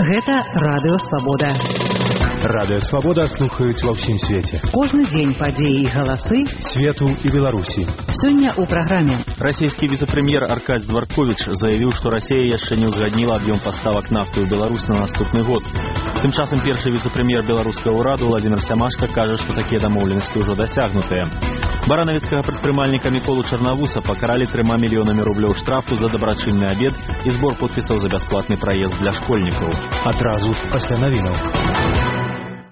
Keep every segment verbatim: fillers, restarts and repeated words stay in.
Гэта Радыё Свабода. Радыё Свабода слухаюць ва ўсім свеце. Кожны дзень падзеі і галасы свету і Беларусі. Сёння ў праграме. Расійскі віцэ-прэм'ер Аркадзь Дворкович заявіў, што Расія яшчэ не ўзгадніла аб'ём паставак нафты ў Беларусь на наступны год. Тым часам першы віцэ-прэм'ер беларускага ўраду Владзімір Сямашка кажа, што такія дамоўленасці ўжо дасягнутыя. Баранавіцкага прадпрымальніка Міколу Чарнавуса пакаралі трыма мільёнамі рублёў штрафу за дабрачынны абед і збор подпісаў за бясплатны праезд для школьнікаў. Адразу пасля навінаў.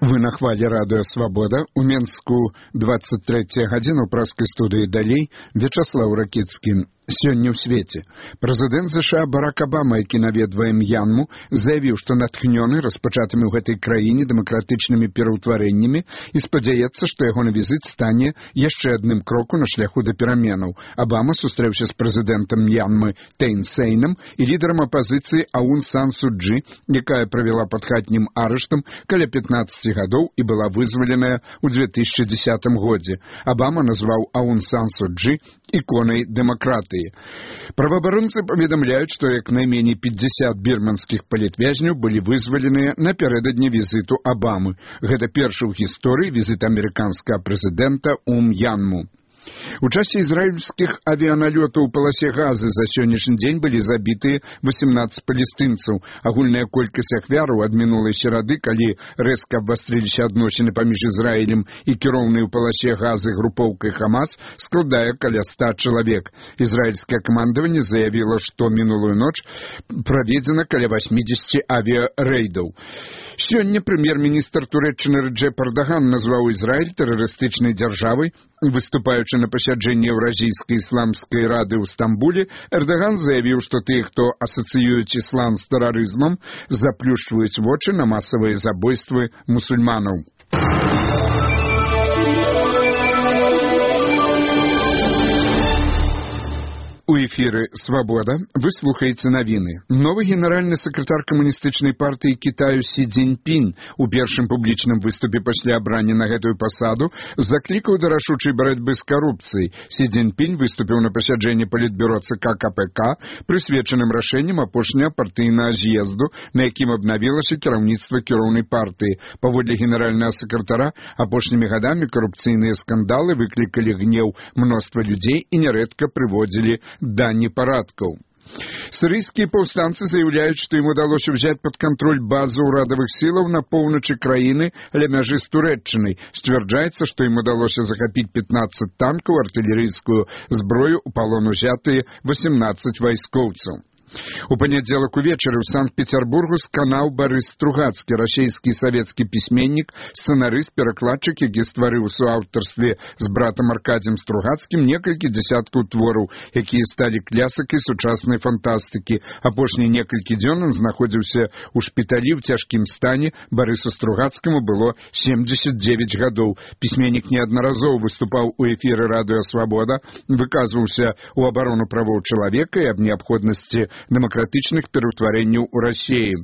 Вы на хвале Радыё Свабода. У Менску двадцать третья гадзіна ў праскай студыі далей Вячаслаў Ракіцкі. Сёння ў свеце. Прэзідэнт ЗША Барак Абама, які наведвае М'янму, заявіў, што натхнёны распачатымі ў гэтай краіне дэмакратычнымі пераўтварэннямі і спадзяецца, што ягоны візіт стане яшчэ адным кроку на шляху да пераменаў. Абама сустрэўся з прэзідэнтам М'янмы Тэйн Сейнам і лідарам апазіцыі Аун Сан Су Чжы, якая правяла пад хатнім арыштам каля пятнаццаці гадоў і была вызваленая ў две тысячы дзесятым годзе. Абама назваў Аун Сан Су Чжы іконай дэмакратыі. Праваабаронцы паведамляюць, што як найменей пятьдесят бірманскіх палітвязняў былі вызваленыя напярэдадні візіту Абамы. Гэта першы ў гісторыі візіт амерыканскага прэзідэнта ў М'янму. У часе ізраільскіх авіяналётаў у паласе Газы за сённяшні дзень былі забітыя восемнадцать палестынцаў. Агульная колькасць ахвяраў ад минулай серады, калі рэзка абвастрыліся адносіны паміж Ізраілем і кіроўнай у паласе Газы групоўкай Хамас, складае каля ста чалавек. Ізраільскае камандаванне заявіла, што мінулую ноч праведзена каля восьмидесяти авіярэйдаў. Сёння прэм'ер-міністр Турэччыны Рэджэп Эрдаган назваў Ізраіль тэрарыстычнай дзяржавай. Выступаючы на пасяджэнні Еўразійскай ісламскай рады ў Стамбуле, Эрдаган заявіў, што тыя, хто асацыююць іслам з тэрарызмам, заплюшчваюць вочы на масавыя забойствы мусульманаў. У эфіры «Свабода» вы слухаеце навіны. Новы генеральны сакратар камуністычнай партыі Кітаю Сі Цзіньпін у першым публічным выступе пасля абрання на гэтую пасаду заклікаў да рашучай барацьбы з карупцыяй. Сі Цзіньпін выступіў на пасяджэнні палітбюро ЦК Ка Пэ Ка, прысвечаным рашэннем апошняга партыйнага з'езду, на якім абнавілася кіраўніцтва кіроўнай партыі. Паводле генеральнага сакратара, апошнімі гадамі карупцыйныя скандалы выклікалі гнеў мноства людзей і нярэдка прыводзілі да непарадкаў. Сірыйскія паўстанцы заяўляюць, што ім удалося ўзяць пад кантроль базу ўрадавых сілаў на поўначы краіны ля мяжы з Турэччынай. Сцвярджаецца, што ім удалося захапіць пятнаццаць танкаў, артылерыйскую зброю, у палон узятыя восемнадцаць вайскоўцаў. У панядзелак увечары ў Санкт-Петербургу сканаў Барыс Стругацкі, расійскі савецкі пісьменнік, сцэнарыст, перакладчык, які стварыў у суаўтарстве з братам Аркадзем Стругацкім некалькі дзясяткаў твораў, якія сталі клясыкай сучаснай фантастыкі. Апошнія некалькі дзён ён знаходзіўся ў шпіталі ў цяжкім стане. Барысу Стругацкаму было семьдесят девять гадоў. Пісьменнік неаднаразова выступаў у эфіры Радыё Свабода, выказваўся ў абарону правоў чалавека і аб неабходнасці дэмакратычных пераўтварэнняў у Расіі.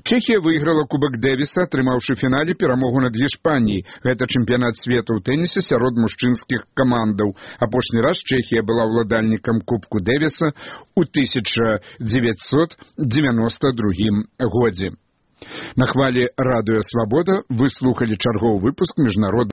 Чэхія выйграла Кубак Дэвіса, атрымаўшы фінале перамогу над Іспаніяй. Гэта чэмпіянат свету ў тэнісе сярод мужчынскіх камандаў. Апошні раз Чэхія была ўладальнікам Кубку Дэвіса ў тысяча дзевяцьсот дзевяносто другім годзе. На хвале Радыё Свабода вы слухалі чарговы выпуск міжнароднага